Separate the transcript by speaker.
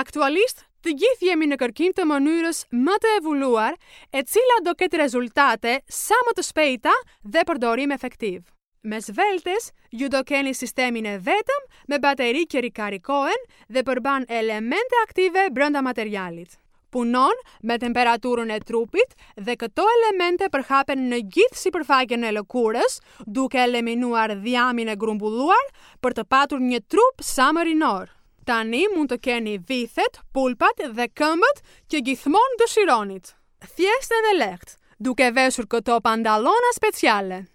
Speaker 1: Aktualisht, të gjithë jemi në kërkim të mënyrës më të evoluar, e cila do ketë rezultate sa më të shpejta dhe përdorim efektiv. Mes Veltes, ju do keni sistemin e vetëm me bateri që rikarikohen dhe përmban elemente aktive brenda materialit. Punon me temperaturën e trupit dhe këto elemente përhapen në gjithë sipërfaqen e lëkurës, duke eliminuar dhjamin e grumbulluar për të patur një trup sa më rinor. Tani mund të keni vithet, pulpat dhe këmbët që gjithmonë dëshironit. Thjesht edhe lehtë, duke veshur këto pantallona speciale.